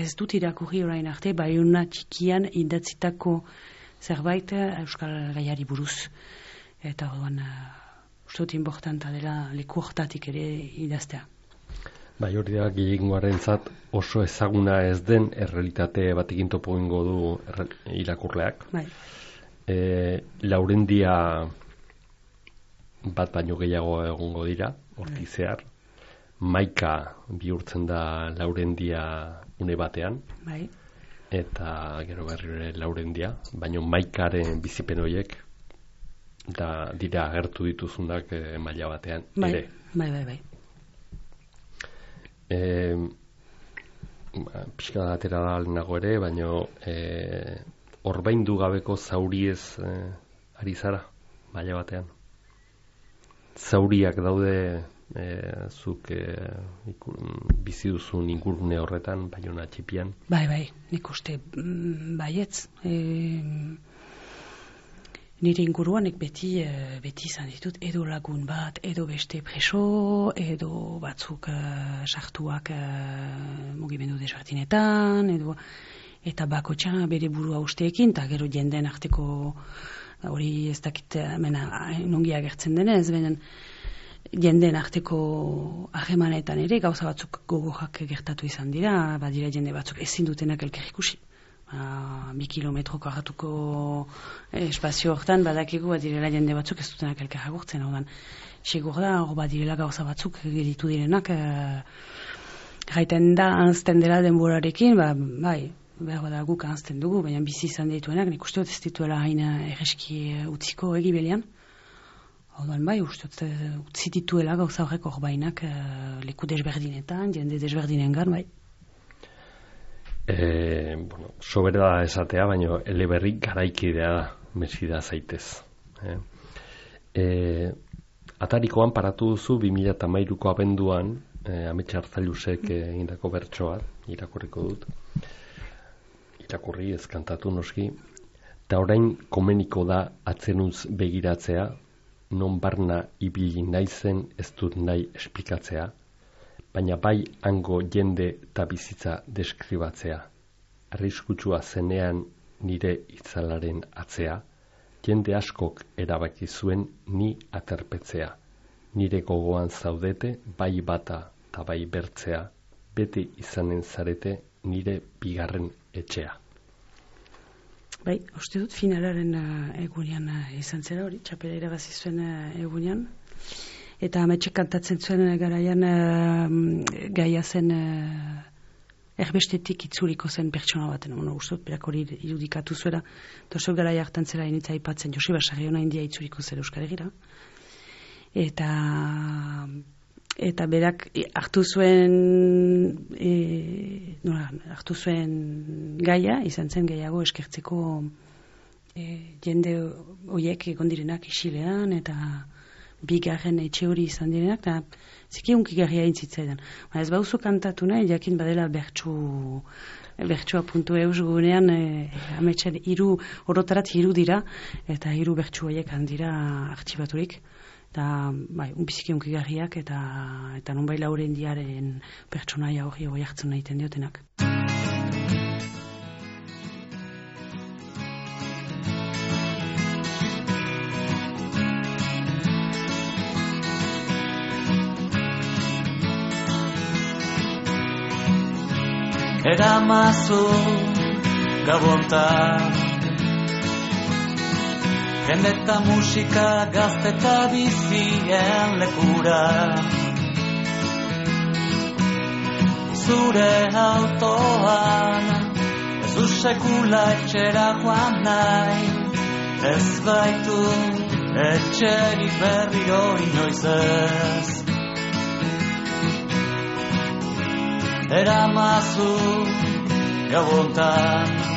ez dut irakurri orain arte, Baiona txikian idatzitako zerbait Euskal Gaiari buruz. Eta orduan, uh, uste dut importanta dela leku hortatik ere idaztea. Bai, hori da gehiengoaren zat oso ezaguna ez den errealitate batekin topo ingo du irakurleak. Bai. E, Laurendia bat baino gehiago egongo dira, hortizear. Maika bihurtzen da Laurendia une batean. Bai. Eta gero berriro ere Laurendia, baino Maikaren bizipen horiek da dira agertu dituzunak e, maila batean bai, ere. Bai, bai, bai. Eh, pixka atera da nago ere, baino eh, orbaindu gabeko zauriez eh, ari zara, maila batean. Zauriak daude eh, zuk eh, ikur, bizi duzun ingurune horretan, Baiona txipian. Bai, bai, nik uste mm, baietz. Eh, Nire inguruanek beti, beti izan ditut, edo lagun bat, edo beste preso, edo batzuk uh, sartuak uh, mugimendu desberdinetan, edo eta bakotxa bere burua usteekin, eta gero jendeen arteko hori ez dakit mena, nongi agertzen denez, benen jendeen arteko harremanetan ere gauza batzuk gogorak gertatu izan dira, badira jende batzuk ezin dutenak elkar ikusi. Uh, bi kilometro karratuko espazio hortan badakigu badirela jende batzuk ez dutenak elkar agurtzen, haudan segur da, hor badirela gauza batzuk geditu direnak uh, gaiten da anzten dela denborarekin, ba, bai, behar da guk anzten dugu, baina bizi izan dituenak, nik uste dut ez dituela haina erreski utziko egibelian, haudan bai, uste dut utzi dituela gauza horrek hor bainak uh, leku desberdinetan, jende desberdinengan, bai. E, bueno, sobera da esatea, baina eleberrik garaikidea da, mesida zaitez. E, e, atarikoan paratu duzu bi mila hamairuko abenduan eh, Ametxe Arzailusek egindako bertsoa, irakurriko dut. Irakurri ez kantatu noski. Eta orain komeniko da atzenuz begiratzea, non barna ibili naizen ez dut nahi esplikatzea, baina bai hango jende eta bizitza deskribatzea. Arriskutsua zenean nire itzalaren atzea, jende askok erabaki zuen ni aterpetzea. Nire gogoan zaudete bai bata eta bai bertzea, bete izanen zarete nire bigarren etxea. Bai, uste dut finalaren uh, egunean uh, izan zera hori, txapela irabazi zuen uh, egunean. Eta Ametxe kantatzen zuen uh, garaian uh, gaia zen uh, erbestetik itzuriko zen pertsona baten. Bueno, uste dut berak hori irudikatu zuela. Tosok garaia hartan zela initza aipatzen Joseba Sarriona india itzuriko zela Euskal Herrira. Eta... Eta berak hartu zuen e, nola, hartu zuen gaia, izan zen gehiago eskertzeko e, jende horiek egon direnak isilean eta bigarren etxe hori izan direnak, eta ziki unkigarria intzitzaidan. Ba, ez bauzu kantatu nahi, jakin badela bertsu bertsua puntu eus gunean e, ametxen hiru orotarat hiru dira, eta hiru bertsu horiek handira artxibaturik. Eta, bai, unbiziki unkigarriak eta eta nonbai lauren diaren pertsonaia hori hori hartzen nahiten diotenak. Eramazu gabontan jende eta musika gazte eta bizien lekura. Zure autoan ez du sekula etxera joan nahi, ez baitu etxerik berriro inoiz ez. Eramazu gabontan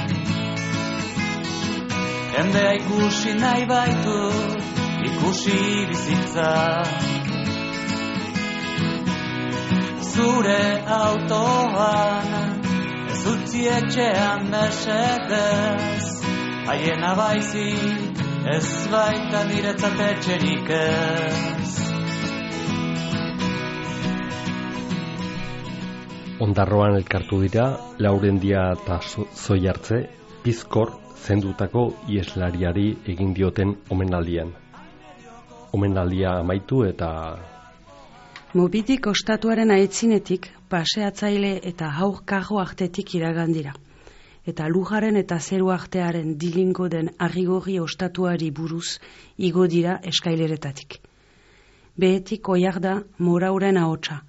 jendea ikusi nahi baitu, ikusi bizitza. Zure autoan, ez utzi etxean mesedez, haiena baizik, ez baita niretzat etxerik ez. Ondarroan elkartu dira, Laurendia eta Zoi hartze, Bizkor zendutako ieslariari egin dioten omenaldian. Omenaldia amaitu eta... Mobidik ostatuaren aitzinetik, paseatzaile eta haur karro artetik iragandira. Eta lujaren eta zeru artearen dilingo den arrigorri ostatuari buruz igo dira eskaileretatik. Behetik oiarda morauren ahotsa,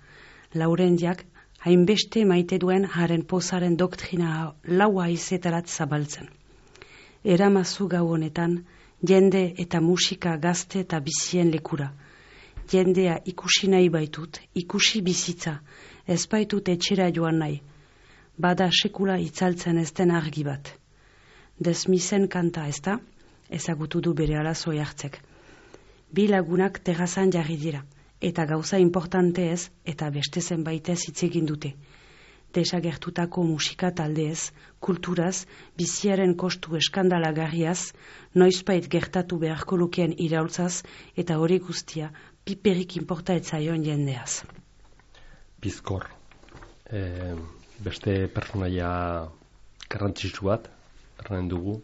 Laurendiak hainbeste maite duen haren pozaren doktrina laua izetarat zabaltzen. Eramazu gau honetan, jende eta musika gazte eta bizien lekura. Jendea ikusi nahi baitut, ikusi bizitza, ez baitut etxera joan nahi. Bada sekula itzaltzen ez den argi bat. Desmizen kanta ez da, ezagutu du bere alazoi hartzek. Bi lagunak terrazan jarri dira, eta gauza importante ez, eta beste zenbaitez hitz egin dute. Desagertutako musika taldeez, kulturaz, biziaren kostu eskandalagarriaz, noizbait gertatu beharko lukeen iraultzaz, eta hori guztia piperik inporta etzaion jendeaz. Bizkor, e, beste personaia garrantzitsu bat, erran dugu,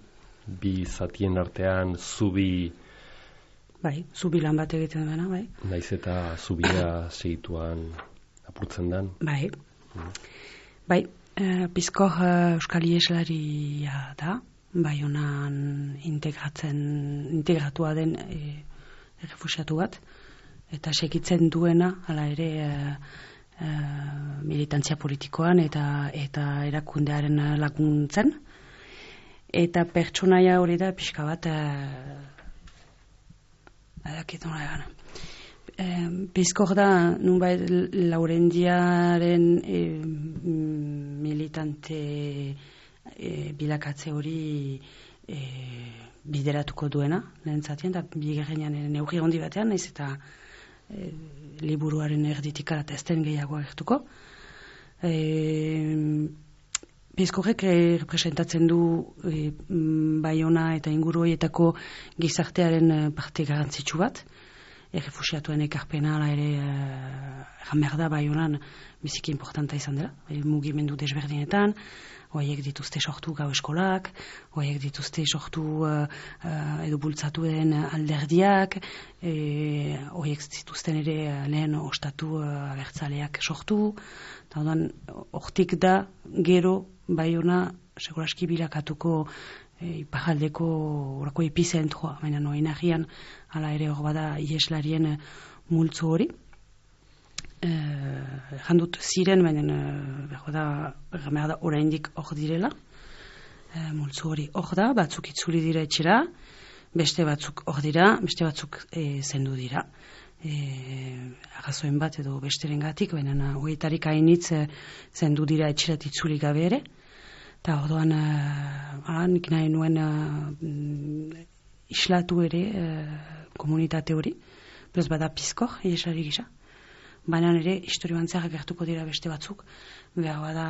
bi zatien artean zubi... Bai, zubi lan bat egiten dena, bai. Naiz eta zubia segituan apurtzen den. Bai. Mm. Bai, e, Bizkor e, euskal ieslaria da, bai honan integratzen, integratua den e, errefusiatu bat, eta segitzen duena, hala ere, e, e, militantzia politikoan eta eta erakundearen laguntzen, eta pertsonaia hori da pixka bat, e, adakit nola egan. E, Bizkor da, nunbait Laurendiaren e, militante e, bilakatze hori e, bideratuko duena, lehen zatien, eta bigarrenean neurri handi batean, naiz eta e, liburuaren erditik eta ez den gehiago agertuko. E, Bizkorrek representatzen du e, Baiona eta inguru horietako gizartearen parte garrantzitsu bat. Errefusiatuen ekarpena ala ere erran behar da Baionan biziki importanta izan dela. E, mugimendu desberdinetan, horiek dituzte sortu gau eskolak, horiek dituzte sortu uh, uh, edo bultzatu den alderdiak, e, horiek zituzten ere lehen ostatu uh, abertzaleak sortu, eta orduan hortik da gero Baiona seguraski bilakatuko e, iparraldeko orako epizentroa, baina noin agian hala ere hor bada ieslarien multzo hori. Eh, jandut ziren, baina eh, da, da oraindik hor direla. Eh, multzo hori hor da, batzuk itzuli dira etxera, beste batzuk hor dira, beste batzuk eh, zendu dira. Eh, arrazoen bat edo besteren gatik, baina horietarik hainitz eh, zendu dira etxerat itzuli gabe ere. Eta orduan, eh, nik nahi nuen eh, islatu ere eh, komunitate hori, bez bada pizkor, iesari gisa. Baina ere, historioan zehar gertuko dira beste batzuk, behar bada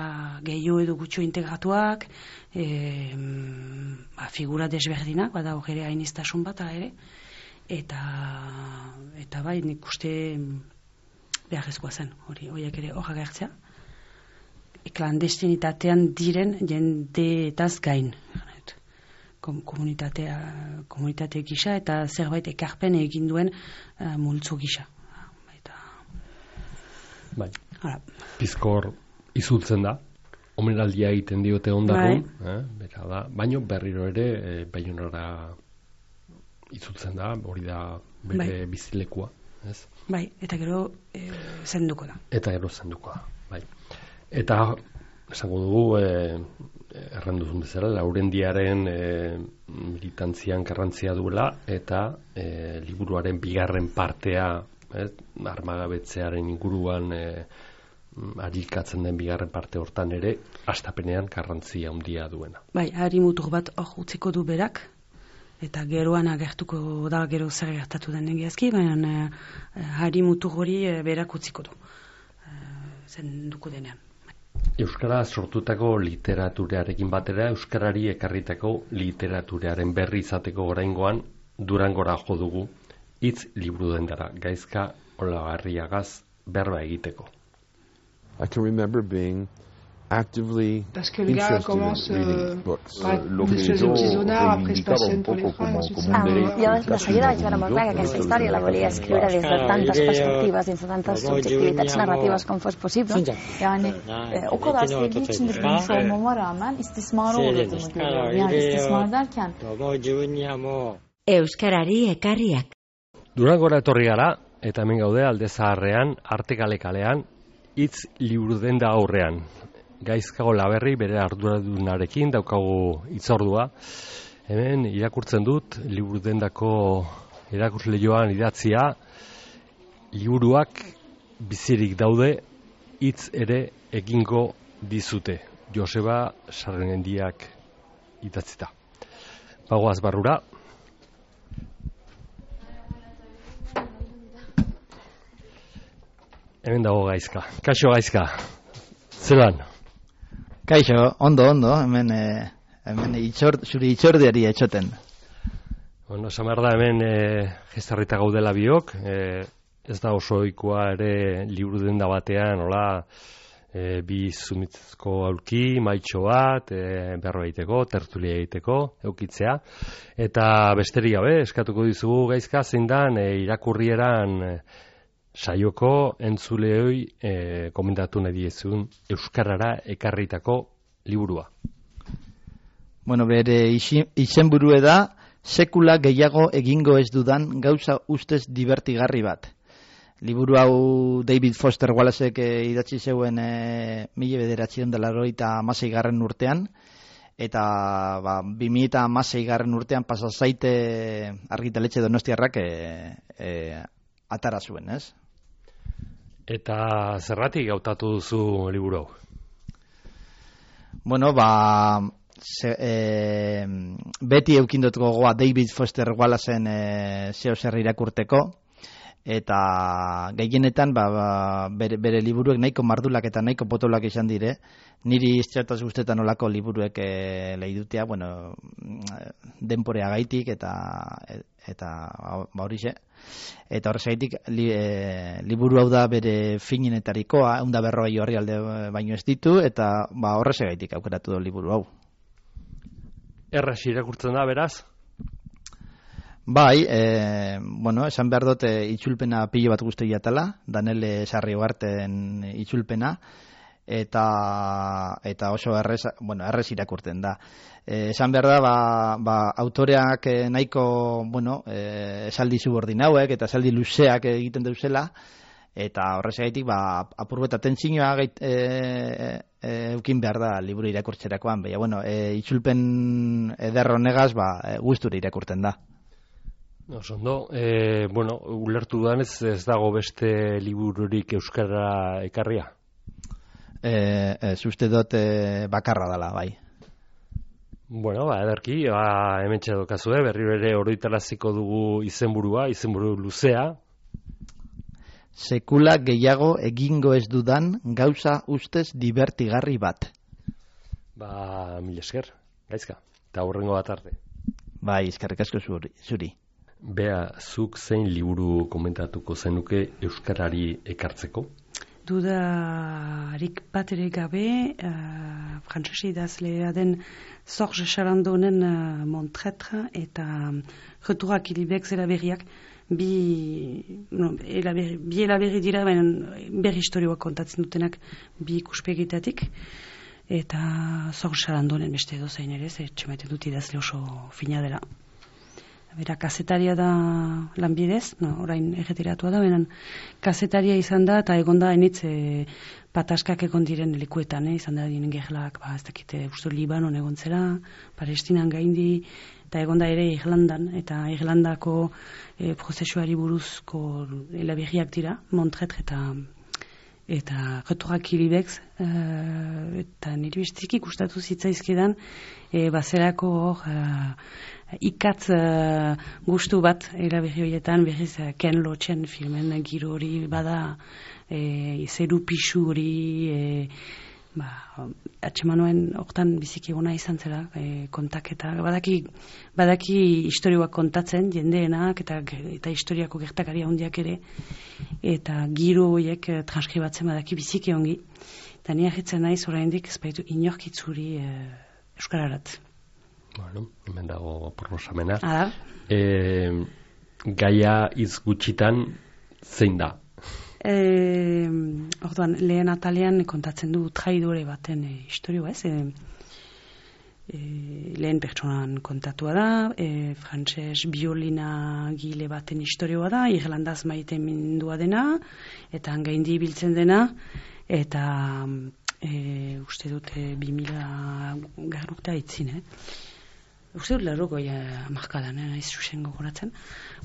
gehiago edo gutxo integratuak, e, ba, figura desberdinak, bada hor ere hainiztasun bat, ala ere, eta, eta bai, nik uste beharrezkoa zen, hori, horiek ere hor agertzea. Klandestinitatean diren jendeetaz gain, komunitatea, komunitate gisa, eta zerbait ekarpen egin duen uh, multzo gisa. Bai. Pizkor izultzen da, omenaldia egiten diote ondarrun, bai. eh, bera da, baino berriro ere e, Baionara izultzen da, hori da bere bai. Bizilekua, ez? Bai, eta gero e, zenduko da. Eta gero zenduko da, bai. Eta esango dugu, e, erranduzun bezala, Laurendiaren e, militantzian garrantzia duela, eta e, liburuaren bigarren partea, Eh, armagabetzearen inguruan eh, arikatzen den bigarren parte hortan ere hastapenean garrantzia handia duena. Bai, hari mutur bat hor utziko du berak, eta geroan agertuko da gero zer gertatu den egiazki, baina eh, hari mutur hori eh, berak utziko du, eh, zenduko denean. Euskara sortutako literaturarekin batera, euskarari ekarritako literaturearen berri izateko oraingoan Durangora jo dugu, hitz liburu dendara, Gaizka Olagarriagaz berba egiteko. I can remember being actively Parce que le gars commence euh, par Monsieur le Petitsonard, après se passe pour les frères, ensuite ça... Jo de seguida vaig veure molt clar que aquesta història la volia escriure des de tantes perspectives, des de tantes subjektivitats narratives com fos possible. Yani o kadar sevdiği için de bilmiş olmama rağmen istismara uğradığımı görüyorum. Yani istismar derken... Euskarari ekarriak. Durangora etorri gara, eta hemen gaude Alde Zaharrean, Artekale kalean, hitz liburu denda aurrean. Gaizka Olaberri bere arduradunarekin daukagu hitzordua. Hemen irakurtzen dut liburu dendako irakurle joan idatzia, liburuak bizirik daude, hitz ere egingo dizute. Joseba Sarrendiak idatzita. Bagoaz barrura. Hemen dago Gaizka. Kaixo Gaizka. Zelan? Kaixo, ondo, ondo. Hemen, eh, hemen itxor, zuri itxordiari etxoten. Bueno, samar da hemen eh, gestarrita gaudela biok. Eh, ez da oso ohikoa ere liburu denda batean, hola, eh, bi zumitzko aulki, maitxo bat, eh, berro egiteko, tertulia egiteko, eukitzea. Eta besterik gabe, eskatuko dizugu Gaizka, zein dan eh, irakurrieran... Eh, saioko entzuleoi e, komentatu nahi diezun euskarara ekarritako liburua. Bueno, bere izenburue da sekula gehiago egingo ez dudan gauza ustez divertigarri bat. Liburu hau David Foster Wallacek e, idatzi zeuen e, mila bederatziehun eta laurogeita hamasei garren urtean, eta ba, bi mila eta hamasei garren urtean pasa zaite Argitaletxe Donostiarrak e, e, atara zuen, ez? Eta zerratik hautatu duzu liburu hau? Bueno, ba, ze, e, beti eukindot gogoa David Foster Wallacen e, zeo zer irakurteko, eta gehienetan ba, ba, bere, bere liburuek nahiko mardulak eta nahiko potolak izan dire. Niri iztrataz guztetan olako liburuek e, lehidutea, bueno, denporea gaitik eta eta ba horixe. Eta horrezaitik li, e, liburu hau da bere finenetarikoa, ehun eta berrogei orrialde baino ez ditu, eta ba horrezaitik aukeratu du liburu hau. Erraz irakurtzen da, beraz? Bai, e, bueno, esan behar dut e, itzulpena pilo bat guzti jatala, Danele Sarriogarten itzulpena, eta eta oso errez, bueno, errez irakurtzen da. E, esan behar da, ba, ba, autoreak e, nahiko, bueno, e, esaldi subordinauek eta esaldi luzeak egiten dauzela, eta horrezagaitik, ba, apurbeta tentzinoa e, e, eukin behar da liburu irakurtzerakoan, baina, bueno, e, itzulpen eder honegaz, ba, e, gustura irakurtzen da. Oso ondo, e, bueno, ulertu duan ez, ez dago beste libururik euskara ekarria? E, ez uste dut e, bakarra dela, bai. Bueno, ba, ederki, ba, hemen txedokazue, berri bere oroitaraziko dugu izenburua, izenburu luzea. Sekula gehiago egingo ez dudan gauza ustez divertigarri bat. Ba, mil esker, gaizka, eta hurrengo bat arte. Bai, eskerrik asko zuri. Bea, zuk zein liburu komentatuko zenuke euskarari ekartzeko? Dudarik bat ere gabe, uh, frantzesi idazlea den Sorge Charandonen uh, Montretre eta Returak Ilibek zera berriak bi, no, elaberi, bi elaberri dira, baina berri historioak kontatzen dutenak bi ikuspegitatik. Eta Sorge Charandonen beste edo zein ere, zer txemaiten dut idazle oso fina dela. Bera, kazetaria da lanbidez, no, orain erretiratua da, benen kazetaria izan da, eta egon da enitz e, pataskak egon diren lekuetan, eh, izan da dinen gerlak, ba, ez dakite, uste Libanon egon zera, Palestinan gaindi, eta egon da ere Irlandan, eta Irlandako e, prozesuari buruzko elaberriak dira, Montretre eta eta Returak Ilibek, e, eta niri bestik ikustatu zitzaizkidan, e, bazerako hor, e, ikatz uh, gustu bat eraberri horietan, berriz uh, Ken Loachen filmen giro hori bada, e, zeru pixu hori, e, ba, atxemanoen hortan biziki gona izan zera, e, kontaketa, badaki, badaki historioak kontatzen, jendeenak, eta, eta historiako gertakari handiak ere, eta giro horiek uh, transkribatzen badaki biziki ongi, eta ni ahitzen naiz oraindik ez baitu inorkitzuri uh, euskararat. Bueno, hemen dago proposamena. Ara. E, gaia hitz gutxitan zein da? E, orduan, lehen atalean kontatzen du traidore baten e, historioa, ez? E, e, lehen pertsonan kontatua da, e, frantses biolina gile baten historioa da, Irlandaz maite mindua dena, eta gaindi biltzen dena, eta e, uste dute bi mila garrukta itzin, eh? Uste dut lerroko ja, markadan, eh, ez zuzen gogoratzen,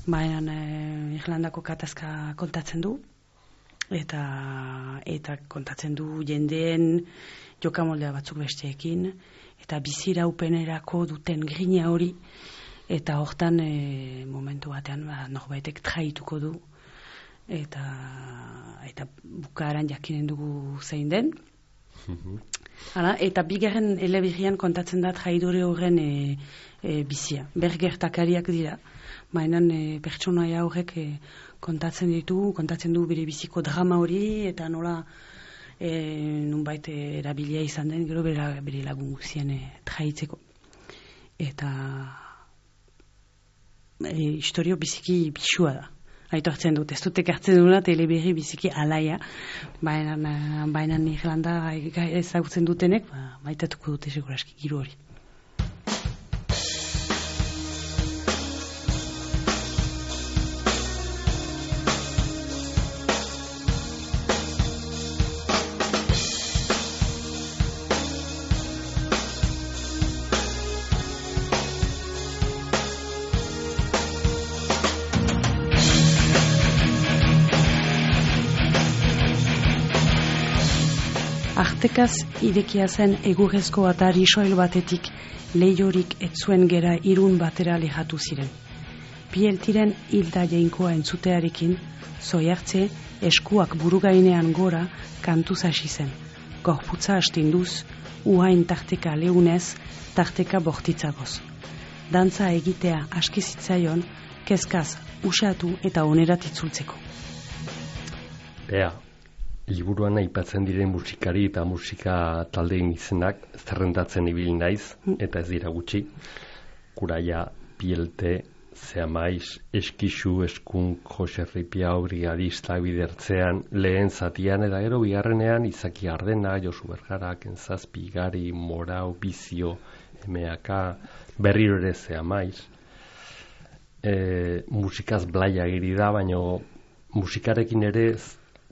baina eh, Irlandako katazka kontatzen du, eta eta kontatzen du jendeen jokamoldea batzuk besteekin, eta biziraupenerako duten grina hori, eta hortan e, momentu batean ba, norbaitek traituko du, eta eta bukaeran jakinen dugu zein den. Hala, eta bigarren eleberrian kontatzen da traidore horren e, e, bizia. Bergertakariak dira, baina e, pertsonaia horrek e, kontatzen ditu, kontatzen du bere biziko drama hori, eta nola e, nunbait erabilia izan den, gero bere, bere lagun guzien e, traitzeko. Eta e, historio biziki bixua da. Aitu hartzen dut, ez dut ekartzen duna teleberri biziki alaia, baina baina Irlanda ezagutzen dutenek, ba, baitatuko dute seguraski giro hori. Artekaz irekia zen egurrezko atari soil batetik leiorik etzuen gera irun batera lehatu ziren. Pieltiren hilda jainkoa entzutearekin Zoiartze, eskuak burugainean gora kantuz hasi zen. Gorputza astinduz, uhain tarteka leunez, tarteka bortitzagoz. Dantza egitea aski zitzaion, kezkaz usatu eta onerat itzultzeko. Bea, liburuan aipatzen diren musikari eta musika taldeen izenak zerrendatzen ibili naiz, eta ez dira gutxi. Kuraia, Pielte, Zeamaiz, Eskixu, Eskunk, Jose Ripiau, Brigadista, Bidertzean, lehen zatian eta gero bigarrenean Izaki Ardena, Josu Bergara, Kentzazpi, Gari, Morau, Bizio, M A K, berriro ere Zeamaiz. E, musikaz blaia giri da, baina musikarekin ere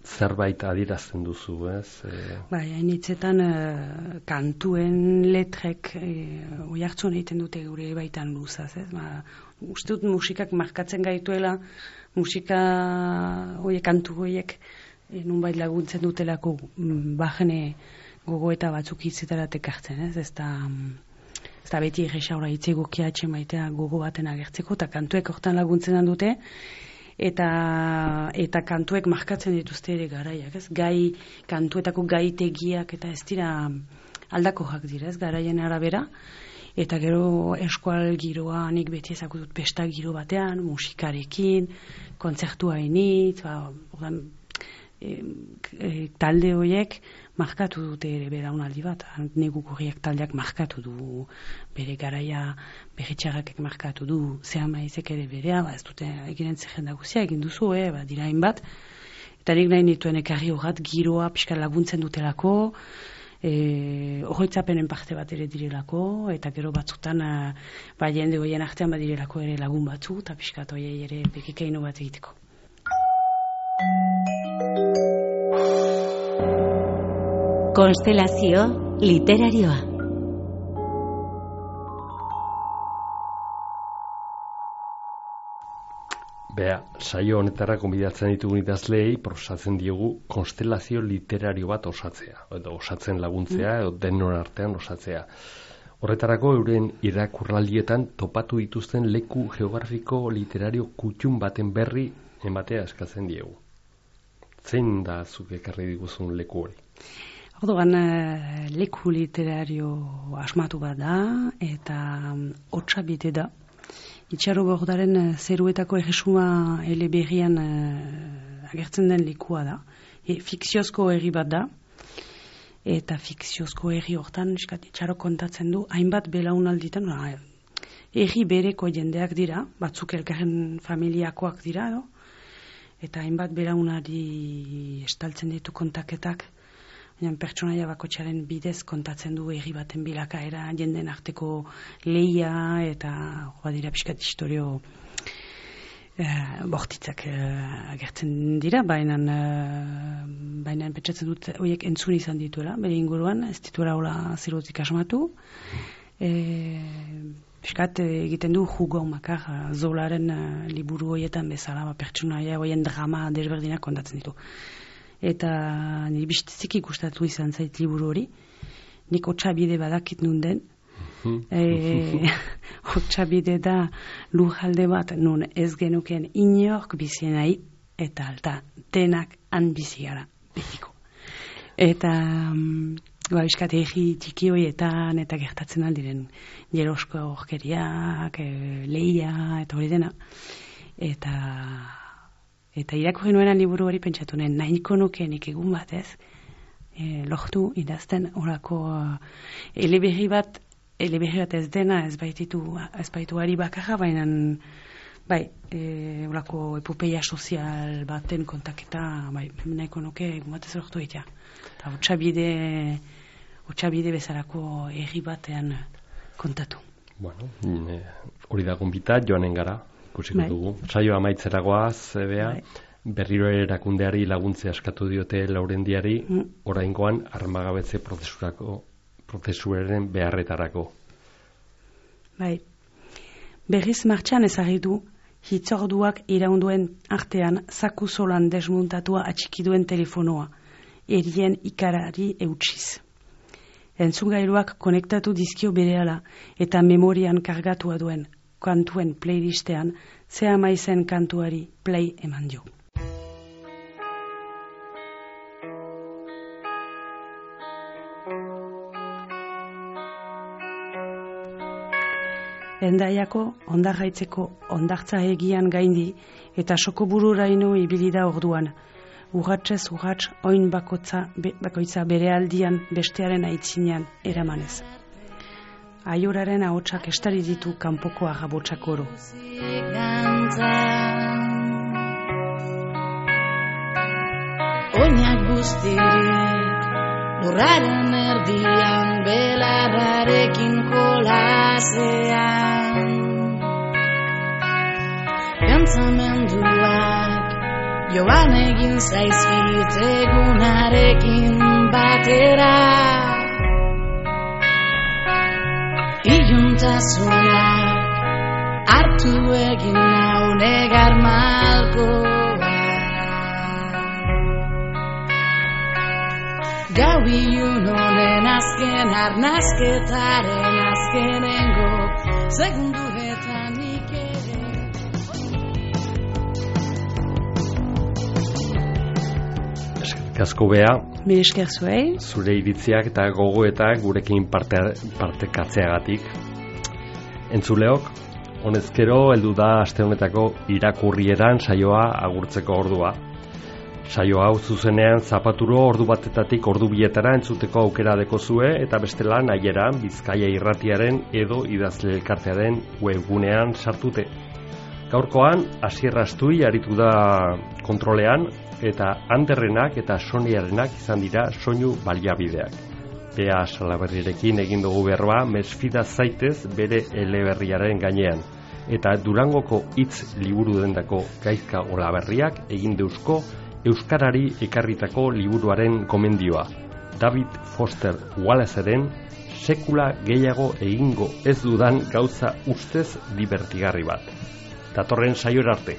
zerbait adierazten duzu, ez? E... Bai, hainitzetan uh, kantuen letrek uh, oihartzun egiten dute gure baitan luzaz, ez? Ba, uste dut musikak markatzen gaituela, musika horiek, kantu horiek e, nunbait laguntzen dutelako bajene gogoeta batzuk hitzetara tekartzen, ez? Ez da, ez da beti erresaura hitzegokia atxe maitea gogo baten agertzeko, eta kantuek hortan laguntzen dute, eta eta kantuek markatzen dituzte ere garaiak, ez? Gai, kantuetako gaitegiak eta ez dira aldakoak dira, ez? Garaien arabera, eta gero eskual giroa nik beti ezakutut pesta giro batean, musikarekin, kontzertua hainitz, ba, ordan, e, e, talde horiek markatu dute ere belaunaldi bat, negukurriak taldeak markatu du, bere garaia berritxarrakek markatu du, Zeamaizek ere berea, ba ez dute eginen zerrenda guzia, egin duzu, eh, ba, dira hainbat, eta nik nahi nituen ekarri horrat giroa pixka laguntzen dutelako, e, horretzapenen parte bat ere direlako, eta gero batzutan ba, jende hoien artean badirelako ere lagun batzu, eta pixka toiei ere bekikaino bat egiteko. Konstelazio literarioa. Bea, saio honetara konbidatzen ditugun idazleei prosatzen diogu konstelazio literario bat osatzea, edo osatzen laguntzea, edo denon artean osatzea. Horretarako euren irakurraldietan topatu dituzten leku geografiko literario kutxun baten berri ematea eskatzen diegu. Zein da zuk ekarri diguzun leku hori? Orduan, leku literario asmatu bat da, eta Otsabide da. Itxaro Gordaren zeruetako erresuma eleberrian uh, agertzen den lekua da. E, fikziozko herri bat da, eta fikziozko herri hortan itxaro kontatzen du, hainbat belaunalditan, herri bereko jendeak dira, batzuk elkarren familiakoak dira, do? Eta hainbat belaunari estaltzen ditu kontaketak, baina pertsonaia bakotxaren bidez kontatzen du herri baten bilakaera, jenden arteko lehia eta badira pixkat historio eh, bortitzak eh, agertzen dira, baina eh, baina pentsatzen dut horiek entzun izan dituela, bere inguruan, ez dituela hola zerotik asmatu. Eh, Piskat egiten du jugo makar Zolaren uh, liburu horietan bezala, ba, pertsonaia horien drama desberdinak kontatzen ditu. Eta nire bizitzik ikustatu izan zait liburu hori. Nik Otsabide badakit nun den. e, Otsabide da lurralde bat nun ez genuken inork bizi nahi, eta alta denak han bizi gara betiko. Eta um, ba, bizkat egi txiki horietan eta gertatzen aldiren jerosko horkeriak, e, lehia eta hori dena. Eta Eta irakurri nuenan liburu hori pentsatu nuen, nahiko nukenik egun bat, ez? E, lohtu idazten horako uh, eleberri bat, eleberri bat ez dena, ez baititu, ez baitu ari bakarra, baina bai, e, horako epopeia sozial baten kontaketa, bai, nahiko nuke egun bat ez lohtu egitea. Eta Otsabide, Otsabide bezalako herri batean kontatu. Bueno, hori da gonbita, joanen gara. Ikusiko bai. Dugu. Saio amaitzeragoaz, Bea, bai. Berriro erakundeari laguntzea eskatu diote Laurendiari, mm. oraingoan armagabetze prozesurako, prozesuaren beharretarako. Bai. Berriz martxan ezagri du, hitzorduak iraunduen artean zaku zolan desmuntatua atxikiduen telefonoa, erien ikarari eutsiz. Entzungailuak konektatu dizkio berehala eta memorian kargatua duen kantuen playlistean Zeamaizen kantuari play eman dio. Hendaiako ondarraitzeko ondartza egian gaindi eta soko bururaino ibili da orduan. Urratsez urrats oin bakotza, be, bakoitza bere aldian bestearen aitzinean eramanez. Aioraren ahotsak estari ditu kanpoko agabotsak oro. Oinak guztirik lurraren erdian belarrarekin kolasean Pentsamenduak joan egin zaizkit egunarekin batera Iluntasunak hartu egin nau negar malkoa Gau ilun honen azken arnazketaren azkenengo segunduetan nik ere Eskerrik asko Bea. Mil esker zuei. Zure iritziak eta gogoetak gurekin parte, partekatzeagatik. Entzuleok, honezkero heldu da aste honetako irakurrieran saioa agurtzeko ordua. Saio hau zuzenean zapaturo ordu batetatik ordu bietara entzuteko aukera dekozue eta bestela nahieran Bizkaia Irratiaren edo idazle elkartearen webgunean sartute. Gaurkoan Asier Astui aritu da kontrolean eta Anderrenak eta Soniarenak izan dira soinu baliabideak. Bea Salaberrirekin egin dugu berba mesfida zaitez bere eleberriaren gainean eta Durangoko hitz liburu dendako Gaizka Olaberriak egin deuzko Euskarari ekarritako liburuaren komendioa, David Foster Wallaceren sekula gehiago egingo ez dudan gauza ustez divertigarri bat. Datorren saiora arte.